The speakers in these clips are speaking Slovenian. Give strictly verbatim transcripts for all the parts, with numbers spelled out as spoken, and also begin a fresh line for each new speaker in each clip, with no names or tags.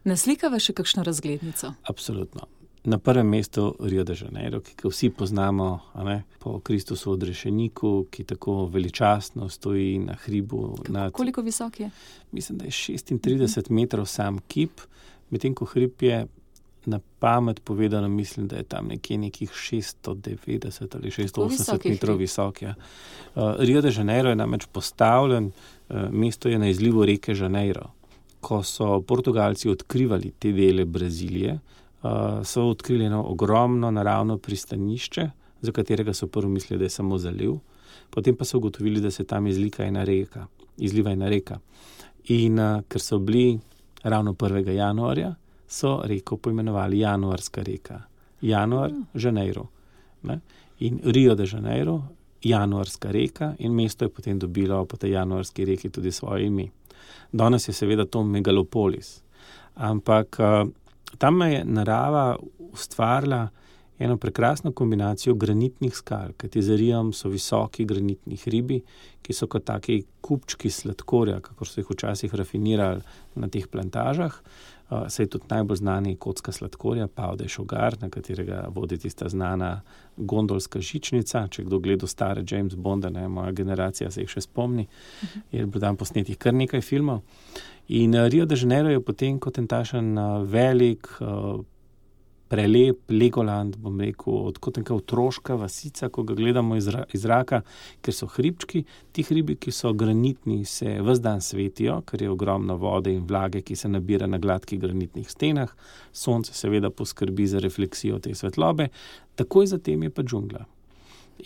Naslikava še kakšno razglednico?
Absolutno. Na prvem mestu Rio de Janeiro, ki ga vsi poznamo, a ne, po Kristusu odrešeniku, ki tako veličastno stoji na hribu.
Kako,
nad,
koliko visok je?
Mislim, da je šestintrideset uh-huh. metrov sam kip, medtem ko hrib je na pamet povedano, mislim, da je tam nekje nekih šeststo devetdeset ali šeststo osemdeset metrov visok. Ja. Uh, Rio de Janeiro je namreč postavljen, uh, mesto je na izlivu reke Janeiro. Ko so Portugalci odkrivali te dele Brazilije, Uh, so odkrili eno ogromno naravno pristanišče, za katerega so prvo mislili, da je samo zaliv. Potem pa so ugotovili, da se tam izlika ena reka, izliva ena reka. In uh, ker so bili ravno prvega januarja, so reko poimenovali Januarska reka. Januar, Janeiro. Ne? In Rio de Janeiro, Januarska reka, in mesto je potem dobilo po tej Januarski reki tudi svoje ime. Danes je seveda to megalopolis. Ampak uh, tam je narava ustvarila eno prekrasno kombinacijo granitnih skal, kajti za Riom so visoki granitni hribi, ki so kot taki kupčki sladkorja, kakor so jih včasih rafinirali na teh plantažah. Uh, saj tudi najbolj znani kocka sladkorja, Pau de Šugar, na katerega vodi tista znana gondolska žičnica. Če kdo gleda stare James Bonda, ne, moja generacija se jih še spomni, uh-huh. je bilo tam posnetih kar nekaj filmov. In uh, Rio de Janeiro je potem kot en tašen uh, velik, uh, prelep Legoland, bom rekel, kot neka otroška vasica, ko ga gledamo iz, ra- iz zraka, ker so hribčki. Ti hribi, ki so granitni, se ves dan svetijo, ker je ogromno vode in vlage, ki se nabira na gladkih granitnih stenah. Sonce seveda poskrbi za refleksijo te svetlobe. Takoj zatem je pa džungla.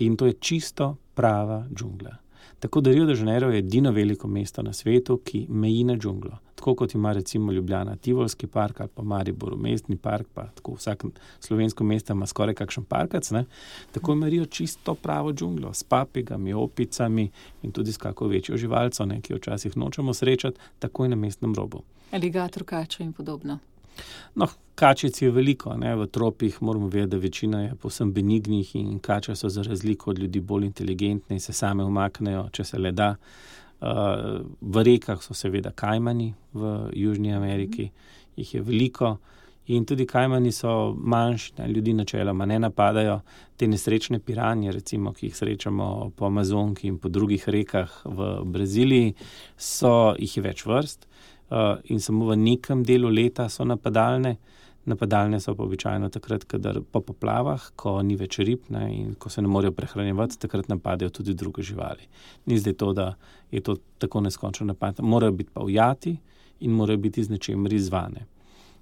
In to je čisto prava džungla. Tako da Rio de Janeiro je edino veliko mesto na svetu, ki meji na džunglo. Tako kot ima recimo Ljubljana Tivolski park ali pa Maribor mestni park, pa tako vsak slovensko mesto ima skoraj kakšen parkac, ne? Tako ima Rio čisto pravo džunglo s papigami, opicami in tudi s kako večjo živalco, ne, ki jo včasih nočemo srečati, takoj na mestnem robu.
Aligator, kača in podobno.
No, kačic je veliko, ne, v tropih moramo vedeti, da večina je povsem benignih in kače so za razliko od ljudi bolj inteligentne in se same umaknejo, če se le da. Uh, v rekah so seveda kajmani v Južni Ameriki, mm. jih je veliko in tudi kajmani so manjši, ne, ljudi načeloma ne napadajo. Te nesrečne piranje, recimo, ki jih srečamo po Amazonki in po drugih rekah v Braziliji, so, jih je več vrst. Uh, in samo v nekem delu leta so napadalne. Napadalne so pa običajno takrat, kadar po poplavah, ko ni več rib, ne, in ko se ne morejo prehranjevati, takrat napadajo tudi druge živali. Ni zdaj to, da je to tako neskončno napad. Morajo biti pa ujati in morajo biti z nečemer izzvane.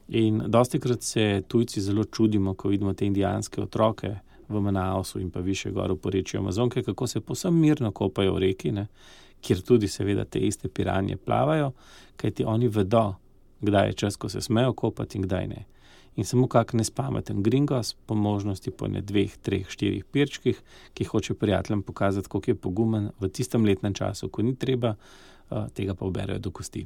In dostikrat se tujci zelo čudimo, ko vidimo te indijanske otroke v Manausu in pa više gor v porečju Amazonke, kako se povsem mirno kopajo v reki, ne, kjer tudi seveda te iste piranje plavajo, kajti oni vedo, kdaj je čas, ko se smejo kopati in kdaj ne. In samo kak nespameten gringos, po možnosti po ne dveh, treh, štirih pirčkih, ki hoče prijateljem pokazati, koliko je pogumen v tistem letnem času, ko ni treba, tega pa uberejo do kosti.